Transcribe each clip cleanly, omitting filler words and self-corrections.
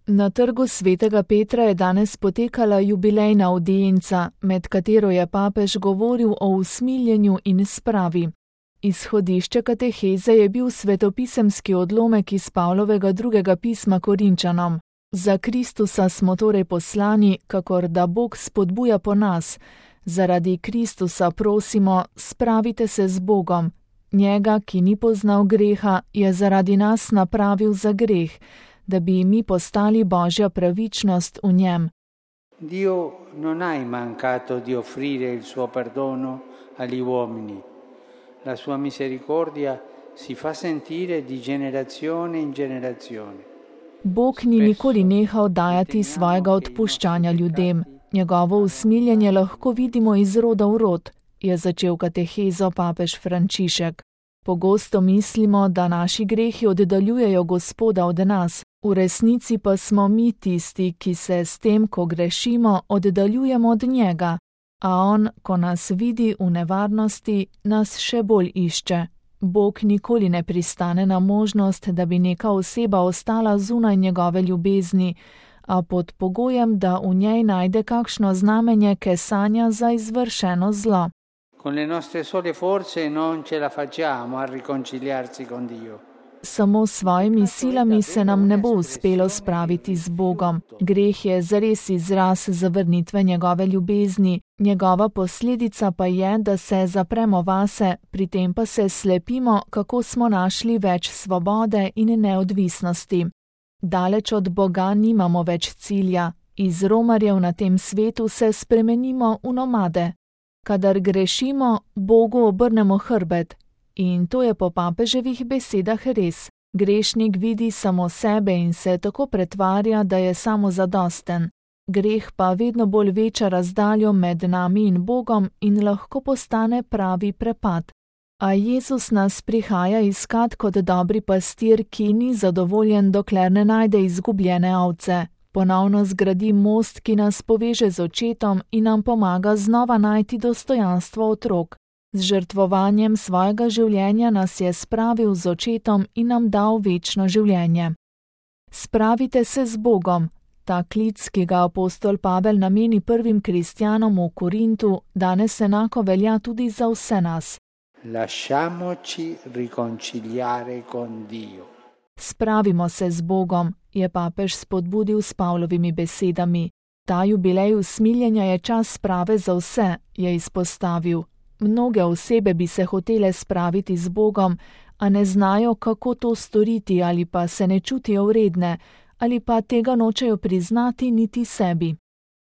Na trgu svetega Petra je danes potekala jubilejna avdienca, med katero je papež govoril o usmiljenju in spravi. Izhodišče kateheze je bil svetopisemski odlomek iz Pavlovega drugega pisma Korinčanom. Za Kristusa smo torej poslani, kakor da Bog spodbuja po nas. Zaradi Kristusa prosimo, spravite se z Bogom. Njega, ki ni poznal greha, je zaradi nas napravil za greh, da bi mi postali Božja pravičnost v njem. Dio non ha mancato di offrire il suo perdono agli uomini. La sua misericordia si fa sentire di generazione in generazione. Bog ni nikoli nehal dajati svojega odpuščanja ljudem. Njegovo usmiljenje lahko vidimo iz roda v rod, je začel katehezo papež Frančišek. Pogosto mislimo, da naši grehi oddaljujejo Gospoda od nas, v resnici pa smo mi tisti, ki se s tem, ko grešimo, oddaljujemo od njega, a on, ko nas vidi v nevarnosti, nas še bolj išče. Bog nikoli ne pristane na možnost, da bi neka oseba ostala zunaj njegove ljubezni, a pod pogojem, da v njej najde kakšno znamenje kesanja za izvršeno zlo. Con le nostre sole forze non ce la facciamo a riconciliarsi con Dio. Samo s svojimi silami se nam ne bo uspelo spraviti z Bogom. Greh je zares izraz zavrnitve njegove ljubezni, njegova posledica pa je, da se zapremo vase, pri tem pa se slepimo, kako smo našli več svobode in neodvisnosti. Daleč od Boga nimamo več cilja, iz romarjev na tem svetu se spremenimo v nomade. Kadar grešimo, Bogu obrnemo hrbet. In to je po papeževih besedah res. Grešnik vidi samo sebe in se tako pretvarja, da je samozadosten. Greh pa vedno bolj veča razdaljo med nami in Bogom in lahko postane pravi prepad. A Jezus nas prihaja iskat kot dobri pastir, ki ni zadovoljen, dokler ne najde izgubljene ovce. Ponovno zgradi most, ki nas poveže z očetom in nam pomaga znova najti dostojanstvo otrok. Z žrtvovanjem svojega življenja nas je spravil z očetom in nam dal večno življenje. Spravite se z Bogom. Ta klic, ki ga apostol Pavel nameni prvim kristjanom v Korintu, danes enako velja tudi za vse nas. Lasciamoci riconciliare con Dio. Spravimo se z Bogom, je papež spodbudil s Pavlovimi besedami. Ta jubilej usmiljenja je čas sprave za vse, je izpostavil. Mnoge osebe bi se hotele spraviti z Bogom, a ne znajo, kako to storiti, ali pa se ne čutijo vredne, ali pa tega nočejo priznati niti sebi.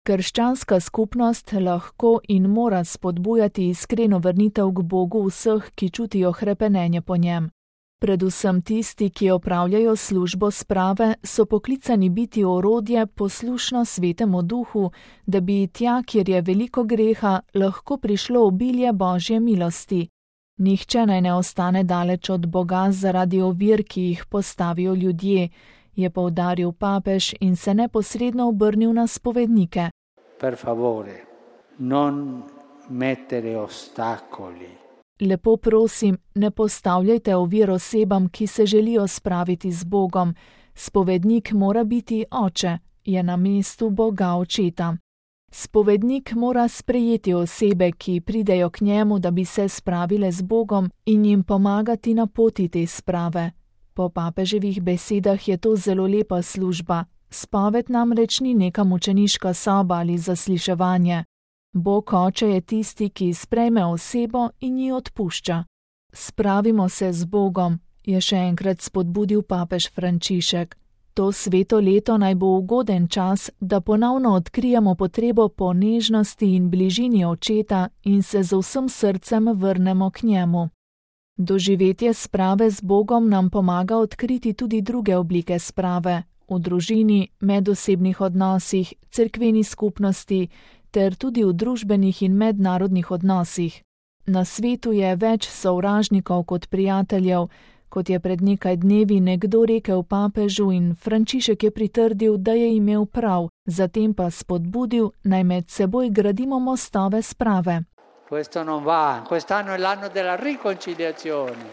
Krščanska skupnost lahko in mora spodbujati iskreno vrnitev k Bogu vseh, ki čutijo hrepenenje po njem. Predvsem tisti, ki opravljajo službo sprave, so poklicani biti orodje poslušno Svetemu Duhu, da bi tja, kjer je veliko greha, lahko prišlo obilje Božje milosti. Nihče naj ne ostane daleč od Boga zaradi ovir, ki jih postavijo ljudje, je poudaril papež in se neposredno obrnil na spovednike. Per favore, non mettere ostacoli. Lepo prosim, ne postavljajte ovir osebam, ki se želijo spraviti z Bogom. Spovednik mora biti oče, je na mestu Boga očeta. Spovednik mora sprejeti osebe, ki pridejo k njemu, da bi se spravile z Bogom in jim pomagati na poti te sprave. Po papeževih besedah je to zelo lepa služba. Spoved namreč ni neka mučeniška soba ali zasliševanje. Bog oče je tisti, ki sprejme osebo in ji odpušča. Spravimo se z Bogom, je še enkrat spodbudil papež Frančišek. To sveto leto naj bo ugoden čas, da ponovno odkrijemo potrebo po nežnosti in bližini očeta in se z vsem srcem vrnemo k njemu. Doživetje sprave z Bogom nam pomaga odkriti tudi druge oblike sprave, v družini, medosebnih odnosih, cerkveni skupnosti, ter tudi v družbenih in mednarodnih odnosih. Na svetu je več sovražnikov kot prijateljev, kot je pred nekaj dnevi nekdo rekel papežu in Frančišek je pritrdil, da je imel prav, zatem pa spodbudil, naj med seboj gradimo mostove sprave. Questo non va, quest'anno è l'anno della riconciliazione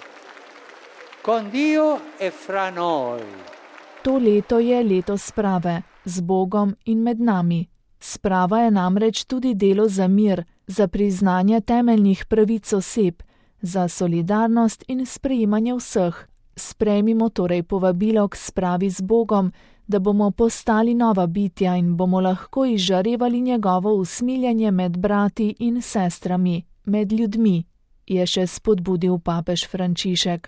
con Dio e fra noi. To leto je leto sprave, z Bogom in med nami. Sprava je namreč tudi delo za mir, za priznanje temeljnih pravic oseb, za solidarnost in sprejemanje vseh. Sprejmimo torej povabilo k spravi z Bogom, da bomo postali nova bitja in bomo lahko izžarevali njegovo usmiljenje med brati in sestrami, med ljudmi, je še spodbudil papež Frančišek.